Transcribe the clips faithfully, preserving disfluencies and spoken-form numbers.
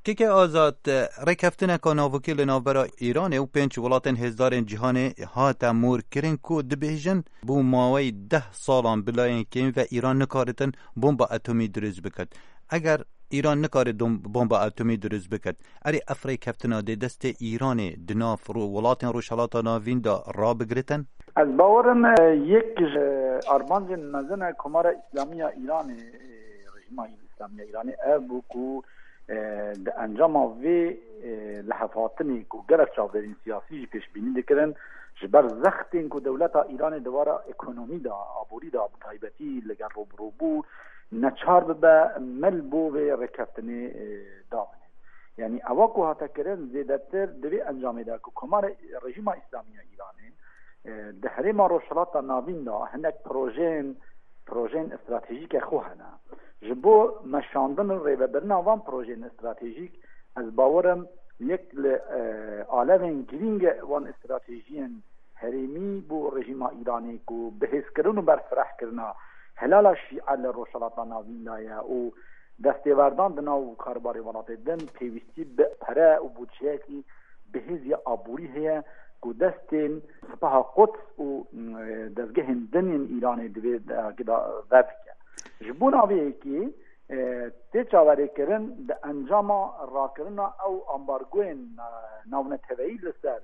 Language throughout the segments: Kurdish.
Keke Azad, rêkeftineka navokî li navbera Îranê û pênc welatên hêzdarên cîhanê hate morkirin ku dibêjin, bû maweyî deh salan bi layên kêm ve Îran nikaritin bomba atomî dirust bikin. Eger Îran nikare dom-, bomba atomî dirust biket, erê ev rêkeftina dê destê Îranê di nav ro-, welatên Rojhelata Navîn de rabigiritin? Ez bawerim, e, yek ji armancên mezin e Komara Îslamî ya Îranê, e, rejîma Îslamî ya Îranê ev bû ku, e, di encama vê, e, lihevhatinê ku gelek çavdêrên siyasî jî pêşbînî dikirin, ji ber zextên ku dewleta Îranê di wara ekonomî de, aborî de, bi taybetî li gel rûbirû bû, neçar bibe mil bo vê rêkeftinê, e, damine. Yanî ewa ku hate kirin zêdetir di vê encamê de ku Komara Rejîma Îslamî ya Îranê, e, di herêma Rojhilata Navîn de hinek projeyên, projeyên stratejîke xwe hene. Ji bo meşandin û rêvebirina van projeyên stratejîk, ez bawerim yek li, e, alevên girîng e wan stratejiyên herêmî bo rejîma Îranê ku bihêzkirin û berfirehkirina hilala şîe li Rojhilata Navîn de ye û destêwerdan di nav karbarê welatê din pêwîstî bi pere û budceyekî bihêz ya aborî heye ku destên Sipaha Quds û, mm, dezgehên din yên Îranê di vê dergî de vebike. Ji bona vê yekê, e, tê çaverêkirin di encama rakirina ew ambargoyên, e, navneteweyî li ser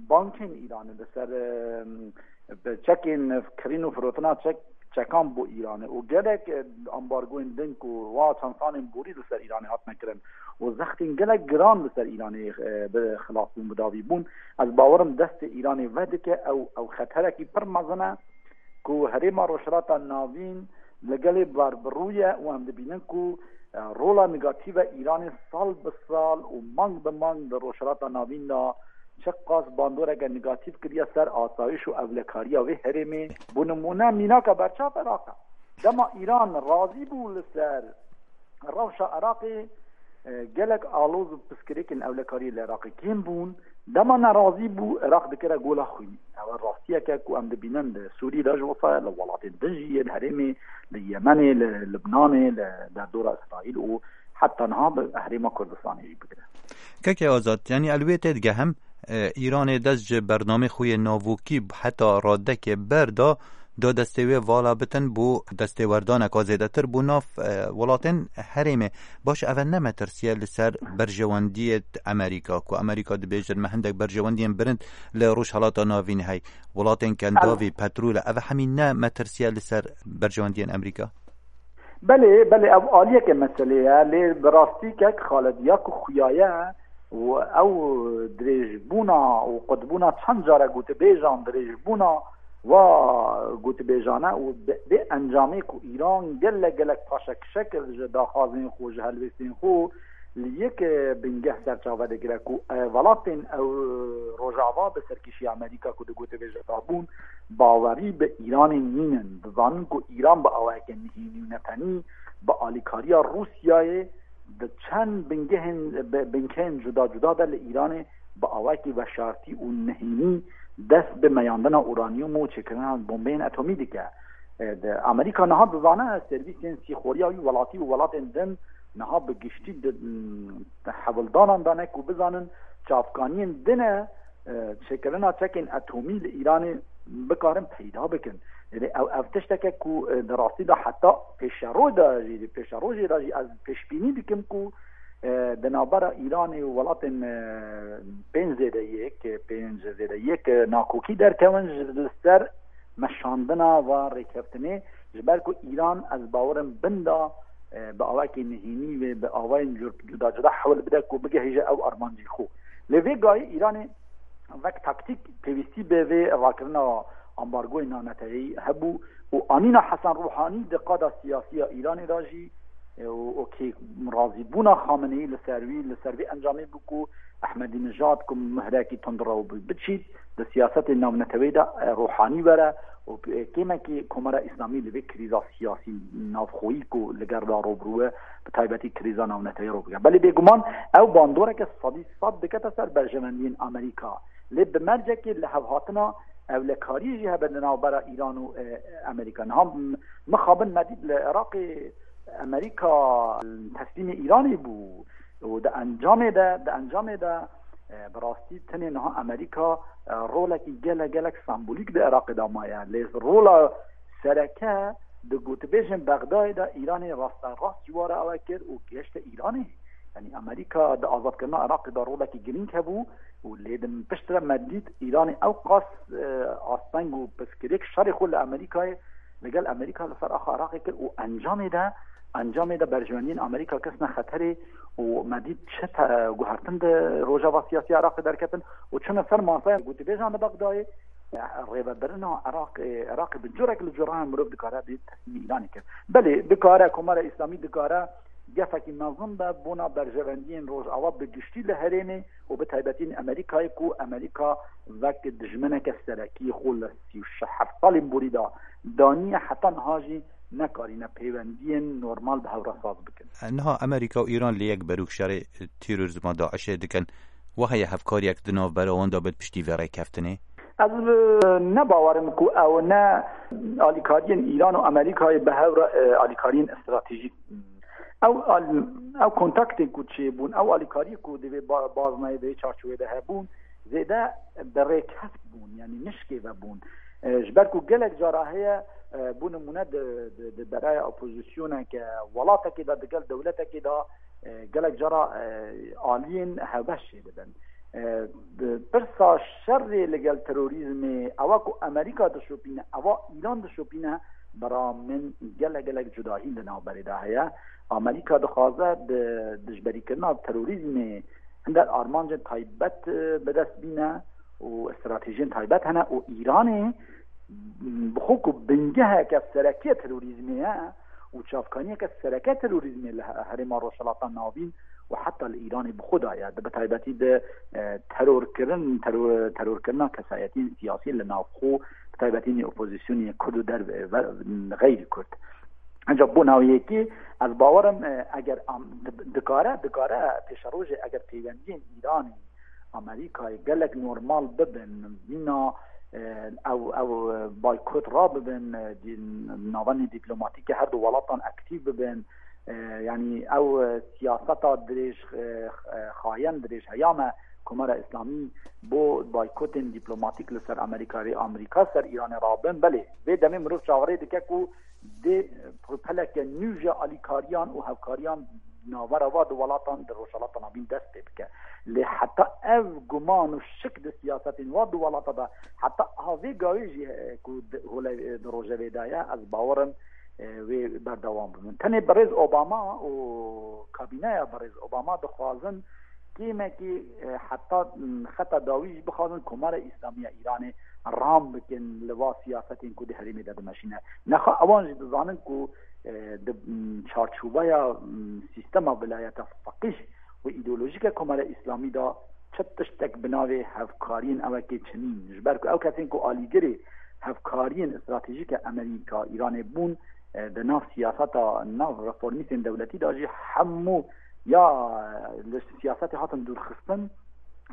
bankên Îranê, li ser, e, bi çekên kirîn û firotina çek, çekan bo Îranê û gelek, e, ambargoyên din ku wa çend salên borî li ser Îranê hatine kirin û zextên gelek giran li ser Îranê, e, bi xilas bûn, bi dawî bûn. Ez bawerim destê Îranê vedike, ew, ew xeterekî pir mezin e ku herêma Rojhilata Navîn li gelê ber bi rû ye û em dibînin ku, e, rola negatîf e Îranê sal bi sal û mang bi mang li Rojhilata Navîn de çiqas bandoreke negatîf kiriye ser asayîş û ewlekariya vê herêmê. Bo nimûne mînaka berçav Iraq e. Dema Îran razî bû li ser rewşa Iraqê, e, gelek aloz û piskirêkên ewlekariyê li Iraqê kêm bûn. Dema nerazî bû, Iraq dikire gola xwînî. Ew rastiyeke ku em dibînin li Sûrî de ji wisa ye, li welatên din jî yê, li herêmê, li Yemenê, li Libnanê, li derdora Îsraîl û heta niha bi herêma Kurdistanê jî bigire. Keke Azad, yanî ez li wê têdigehim, e, Îranê dest ji bernamê xwe yê navokî heta radekê berda, da destê wê vala bitin bo destêwerdaneka zêdetir bo nav, e, welatên herêmê. Baş, ev ne metirsiye li ser berjewendiyê Amerîka, ku Amerîka dibêjin me hindek berjewendiyên bilind li Rojhelata Navîn hey. Welatên kendavî, petrol e, ev hemî ne metirsiye li ser berjewendiyên Amerîka? Belê, belê, ev aliyeke meselê ye, lê bi rastî kek Xalid ya ku xuya ye û ew dirêjbûna û qutbûna çend care gotibêjan dirêjbûna wa gotibêjane û bi, bi encamê ku Îran gelek, gelek paşekişek ji daxwazên xwe, ji helwêstên xwe li yek, e, bingeh ser çave digire ku, e, welatên ew Rojava bi serkêşiya Amerîka ku digotibêje dabûn, bawerî bi Îranê nînin. Dizanin ku Îran bi awayeke nihênî û netenî bi alîkariya Rûsyayê di çend bingehên, bi-, bingehên cuda cuda de li Îranê bi awayekî veşartî û nihênî dest bi meyandina uranyum û çêkirina bombeyên atomî dike. E, di Amerîka niha dizane servîsên sîxoriya wî welatî û welatên din niha bi giştî di, di hewldanan de ne ku bizanin çavkaniyên din e, e, çêkirina çekên atomî li Îranê bikarin peyda bikin. Yanî ew, ev tişteke ku, e, di rastî de heta pêşeroj de jî, pêşerojê de jî ez pêşbînî dikim ku, e, di navbera Îranê û welatên, e, pênc zêde yek, pênc zêde yek, e, nakokî derkevin ji li ser meşandina va rêkeftinê, ji ber ku Îran, ez bawerim, bin da, e, bi awakê nihênî wê bi awayên cur-, cuda cuda hewl bide ku bigihêje ew armancî xwe. Lê vê gayî Îranê wek taktîk pêwîstî bi vê rakirina ambargoyê navneteweyî hebû û anîna Hesen Ruhanî di qada siyasî ya Îranê de jî, e, û, û kê razîbûna Xameneî li ser wî, li ser vê encamê bû ku Ehmedînejad ku mihrekî tundrew bû biçît, di siyasetê navneteweyî de, e, Ruhanî were û, e, kêmekî Komara Îslamî li vê krîza siyasî navxweyî ku li gel de rûbirû ye, bi taybetî krîza navneteweyî rû bike. Belê bêguman ew bandoreke sedî sed dikete ser berjewendiyên Amerîka. Lê bi mercekê lihevhatina ewlekariyê jî hebe li navbera Îran û, e, Amerîka. Niha m-, mixabin me dît li Iraqê Amerîka teslîmê Îranê bû. û di encamê de, di encamê de, e, bi rastî tenê niha Amerîka, e, rolekî gelek, gelek sembolîk di Iraqê de maye. Lê rola sereke di gotibêjên Bexdayê de Îranê rasterast ji wara ew kir û gihişte Îranê. Yanî Amerîka di azadkirina Iraqê de rolekî girîng hebû û lê di piştre me dît Îranê ew qas, e, asteng û pirsgirêk şerê xwe li Amerîkayê, li gel Amerîka li ser axa Iraqê kir û encamê de, encamê de berjewendiyên Amerîka ketine xeterê û me dît çi te-, guhertin di rojeva siyasî Iraqê derketin û çûne ser masaya gotibêjan li Bexdayê. Rêvebirina Iraqê, Iraqê bi curek li curan mirov dikare bê teslîmî Îranê kir. Belê, dikare, Komara Îslamî dikare gefekî mezin be bona berjewendiyên Rojava bi giştî li herêmê û bi taybetî li Amerîkayê, ku Amerîka wek dijmineke serekî xwe li sî û heft salên borî de daniye, heta niha jî nekarîne peywendiyên normal bi hev re saz bikin. Niha Amerîka û Îran li yek berûk şerê terorîzma DAIŞê dikin. Wa heye hevkariyek di navbera wan de bit piştî vê rêkeftinê? Ez, e, ne bawer im ku ew ne alîkariyên Îran û Amerîkayê bi hev re, e, alîkariyên stratejîk. Ew al-, ew kontaktên ku çêbûn, ew alîkariyê ku divê ba-, baznayê vê çarçovê de hebûn, zêde bi rêkeft bûn, yanî nişkê ve bûn. E, ji ber ku gelek cara heye, e, bo nimûne di, di, di beraya opozisyoneke welatekê de, di gel dewletekê de, e, gelek cara, e, aliyên hevbeş çêdibin. E, bi pirsa şerê li gel terorîzmê, ewa ku Amerîka dişopîne, ewa Îran dişopîne, bira min gelek gelek cudahî li navberê de heye. Amerîka dixwaze di dijberîkirina terorîzmê hinder armancên taybet, e, bi dest bîne û stratejiyên taybet hene û Îranê bi xwe ku bingeheke sereke terorîzmê ye û çavkaniyeke sereke terorîzmê li he-, herêma Rojhilata Navîn û heta li Îranê bi xwe de ye. Di, bi taybetî di, e, terorkirin, teror-, terorkirina kesayetiyên siyasî li navxwe, bi taybetî nê opozisyonê Kurd û derve-, ve-, xeyrî Kurd. Ancak bona wê yekê ez bawer im, e, eger am-, di-, dikare, dikare pêşerojê eger peywendiyên Îranê Amerîkayê gelek normal bibin, vîna, e, ew, ew, e, baykot rabibin, e, di navanê dîplomatîk her du welatan aktîf bibin, e, yanî ew, e, siyaseta dirêj, e, e, xayen dirêj heyame Komara Îslamî bo baykotên dîplomatîk li ser Amerîka rê Amerîka ser Îranê rabin, belê vê demê mirov çaverê dike ku dê rûpeleke nû ji alîkariyan û hevkariyan navbera va du welatan di Rojhilata Navîn dest pê bike. Lê heta ev guman û şik di siyasetên va du welata de heta ha vê gavê jî, e, ku di, hole, e, di rojevê de ye, ez bawer im, e, wê berdewam bibin. Tenê birêz Obama û kabîneya birêz Obama dixwazin kêmekî, e, heta, m, xeta dawî jî bixwazin Komara Îslamî ya Îranê ram bikin li va siyasetên ku di herêmê de dimeşîne. Nexa ewan jî dizanin ku, e, di, m, çarçoveya, m, sîstema vilayeta feqîh û îdeolojîk ya Komara Îslamî de çi tiştek bi navê hevkariyên ewekê çinîn. Ji ber ku ew kesên ku alîgirê hevkariyên stratejîk ya Amerîka Îranê bûn, e, di nav siyaseta nav reformîstên dewletî de jî hemû ya, e, li siyasetê hatin dûrxistin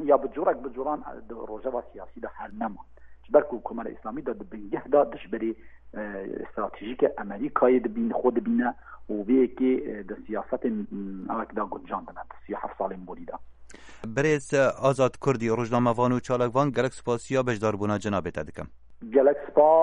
ya bi corek bi coran, e, di rojeva siyasî de her neman. Ji ber ku Komara Îslamî de di bingeh de dijberê, e, stratejîke Amerîkayê dibîn-, xwe dibîne û vê yekê, e, di siyasetên, m, ewek de guncan dine di sî û heft salên borî de. Birêz Azad Kurdî, rojnamevan û çalakvan, gelek spasiya beşdarbûna cenabê te dikim. Gelek spas.